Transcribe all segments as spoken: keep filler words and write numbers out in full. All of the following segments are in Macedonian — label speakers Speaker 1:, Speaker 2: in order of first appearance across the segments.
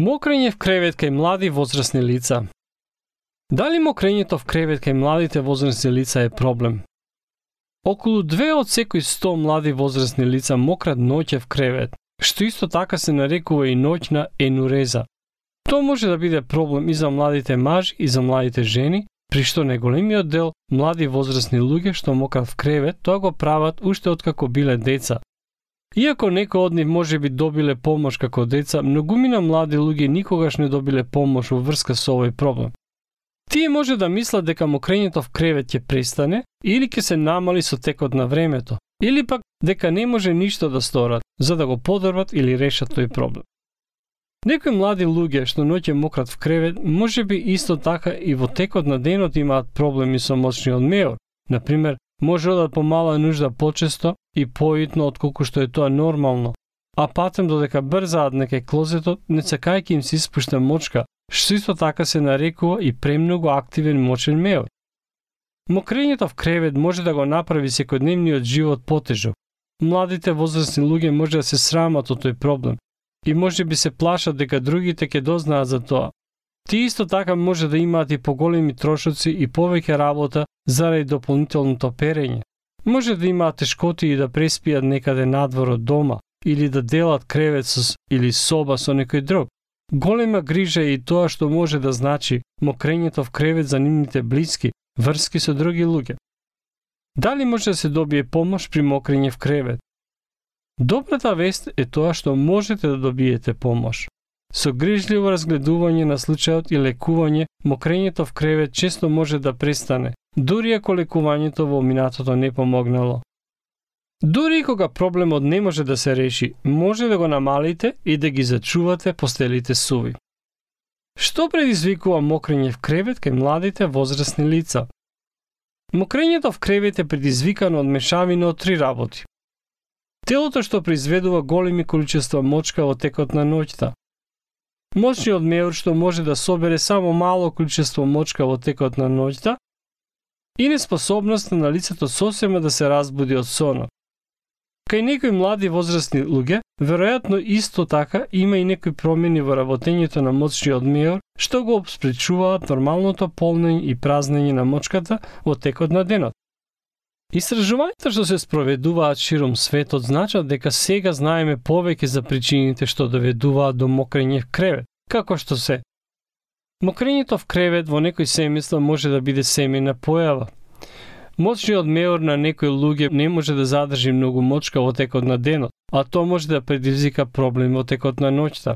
Speaker 1: Мокрење в кревет кај млади возрасни лица. Дали мокрењето в кревет кај младите возрасни лица е проблем? Околу две од секои сто млади возрасни лица мократ ноќе в кревет, што исто така се нарекува и ноќна енуреза. Тоа може да биде проблем и за младите мажи и за младите жени, при што најголемиот дел млади возрасни луѓе што мократ в кревет, тоа го прават уште откако биле деца. Иако некои од нив може би добиле помош како деца, многумина млади луѓе никогаш не добиле помош во врска со овој проблем. Тие може да мислат дека мокрењето в кревет ќе престане или ќе се намали со текот на времето, или пак дека не може ништо да сторат за да го подобрат или решат тој проблем. Некои млади луѓе што ноќе мократ в кревет, може би исто така и во текот на денот имаат проблеми со моќниот меор. Например, може одат по мала нужда почесто и поитно отколку што е тоа нормално, а патем додека брзаат некај клозетот, не сакајќи им се испушта мочка, што исто така се нарекува и премногу активен мочен меор. Мокрењето в кревет може да го направи секојдневниот живот потежок. Младите возрасни луѓе може да се срамат од тој проблем и може би се плашат дека другите ќе дознаат за тоа. Тие исто така може да имаат и поголеми трошоци и повеќе работа заради дополнителното перење. Може да имаат тешкоти и да преспијат некаде надвор од дома или да делат кревет со, или соба со некој друг. Голема грижа е и тоа што може да значи мокрењето в кревет за нивните блиски, врски со други луѓе. Дали може да се добие помош при мокрење в кревет? Добрата вест е тоа што можете да добиете помош. Со грижливо разгледување на случајот и лекување, мокрењето в кревет често може да престане, дури ако лекувањето во минатото не помогнало. Дури и кога проблемот не може да се реши, може да го намалите и да ги зачувате постелите суви. Што предизвикува мокрење в кревет кај младите возрасни лица? Мокрењето в кревет е предизвикано од мешавина од три работи. Телото што произведува големи количества мочка во текот на ноќта. Моќниот меор што може да собере само мало количество мочка во текот на ноќта и неспособноста на лицето сосема да се разбуди од сонот. Кај некои млади возрасни луѓе, веројатно исто така има и некои промени во работењето на моќниот меор што го спречуваат нормалното полнење и празнење на мочката во текот на денот. Истражувањата што се спроведуваат широм светот значат дека сега знаеме повеќе за причините што доведуваат до мокрење в кревет, како што се. Мокрењето в кревет во некои семејства може да биде семејна појава. Моќниот меор на некои луѓе не може да задржи многу мочка во текот на денот, а тоа може да предизвика проблем во текот на ноќта.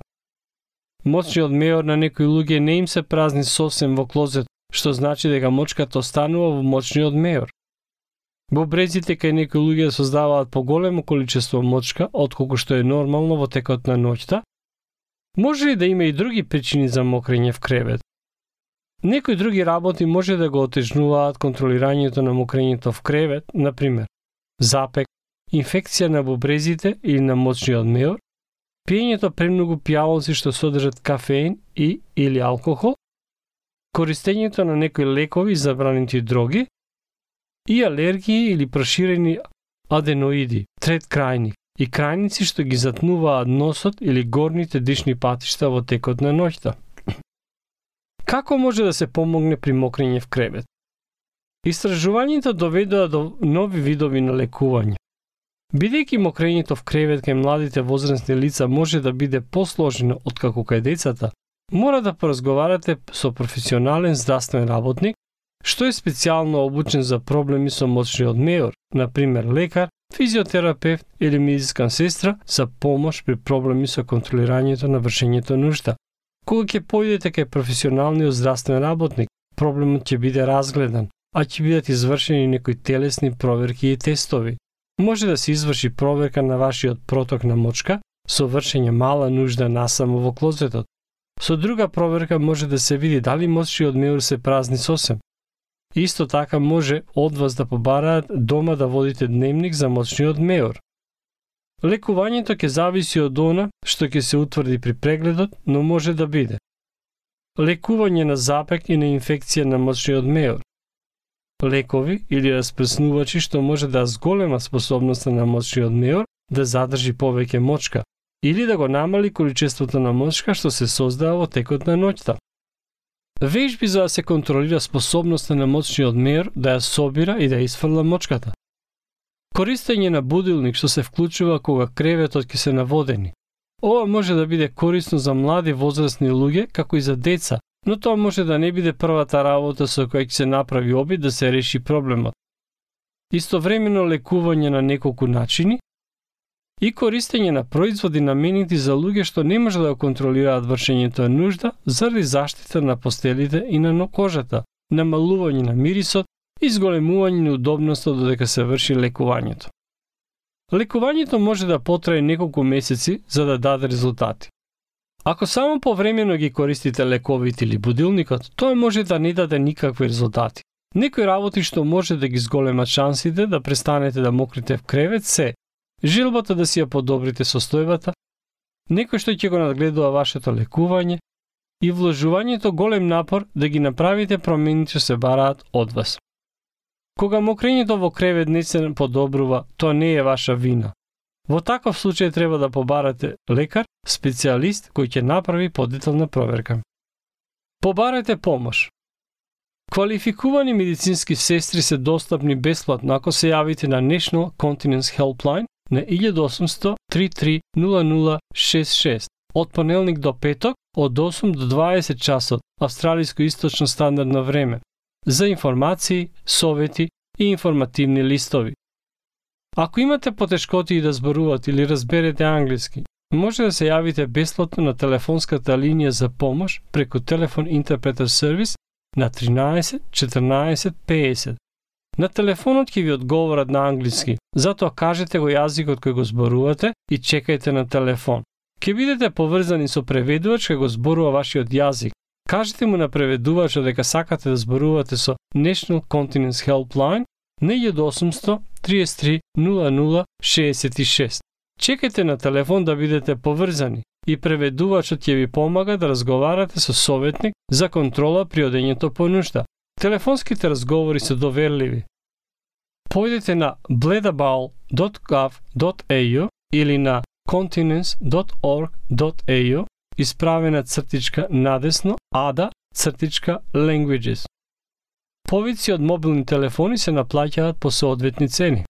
Speaker 1: Моќниот меор на некои луѓе не им се празни сосем во клозет, што значи дека мочката останува во моќниот меор. Бубрезите кај некои луѓе создаваат поголемо количество мочка, отколку што е нормално во текот на ноќта. Може ли да има и други причини за мокрење в кревет? Некои други работи може да го отежнуваат контролирањето на мокрењето в кревет, например, запек, инфекција на бубрезите или на моќниот меор, пиењето премногу пијалоци што содржат кафеин и или алкохол, користењето на некои лекови и забранети дроги, и алергии или проширени аденоиди, трет крајник, и крајници што ги затнуваат носот или горните дишни патишта во текот на ноќта. Како може да се помогне при мокрење в кревет? Истражувањето доведоа до нови видови на лекување. Бидејќи мокрењето в кревет кај младите возрасни лица може да биде посложено откако кај децата, мора да поразговарате со професионален здравствен работник што е специјално обучен за проблеми со моќниот меор, например лекар, физиотерапевт или медицинска сестра за помош при проблеми со контролирањето на вршењето нужда. Кога ќе појдете кај професионалниот здравствен работник, проблемот ќе биде разгледан, а ќе бидат извршени некои телесни проверки и тестови. Може да се изврши проверка на вашиот проток на мочка со вршење мала нужда насамо во клозетот. Со друга проверка може да се види дали моќниот меор се празни сосем. Исто така може од вас да побараат дома да водите дневник за моќниот меор. Лекувањето ќе зависи од она што ќе се утврди при прегледот, но може да биде лекување на запек и на инфекција на моќниот меор, лекови или распреснувачи што може да зголема способноста на моќниот меор да задржи повеќе мочка, или да го намали количеството на мочка што се создава во текот на ноќта. Вежби за да се контролира способноста на мочниот мејор да ја собира и да isfрла мочката. Користење на будилник што се вклучува кога креветот ќе се наводени. Ова може да биде корисно за млади возрастни луѓе, како и за деца, но тоа може да не биде првата работа со која ќе се направи обид да се реши проблемот. Истовремено лекување на неколку начини и користење на производи наменети за луѓе што не може да контролираат вршењето на нужда заради заштита на постелите и на кожата, намалување на мирисот и зголемување на удобноста додека се врши лекувањето. Лекувањето може да потрае неколку месеци за да даде резултати. Ако само повремено ги користите лековите или будилникот, тоа може да не даде никакви резултати. Некои работи што може да ги зголемат шансите да престанете да мокрите в кревет се желбата да си ја подобрите состојбата, некој што ќе го надгледува вашето лекување и вложувањето голем напор да ги направите промените што се бараат од вас. Кога мокрењето во кревет не се подобрува, тоа не е ваша вина. Во таков случај треба да побарате лекар, специјалист кој ќе направи подетална проверка. Побарате помош. Квалификувани медицински сестри се достапни бесплатно ако се јавите на National Continence Helpline на еден осумсто три три нула нула шест шест од понеделник до петок од осум до дваесет часот австралиско источно стандардно време за информации, совети и информативни листови. Ако имате потешкоти да зборувате или разберете англиски, може да се јавите бесплатно на телефонската линија за помош преку телефон интерпретер сервис на тринаесет четрнаесет педесет. На телефонот ќе ви одговорат на англиски, затоа кажете го јазикот кој го зборувате и чекајте на телефон. Ќе бидете поврзани со преведувач кој го зборува вашиот јазик. Кажете му на преведувачот дека сакате да зборувате со National Continence Helpline на еден осумсто три три нула нула шест шест. Чекајте на телефон да бидете поврзани и преведувачот ќе ви помага да разговарате со советник за контрола при одењето по нушта. Телефонските разговори се доверливи. Појдете на bledabowl dot gov dot a u или на continence dot org dot a u исправена цртичка надесно ада цртичка languages. Повици од мобилни телефони се наплаќаат по соодветни цени.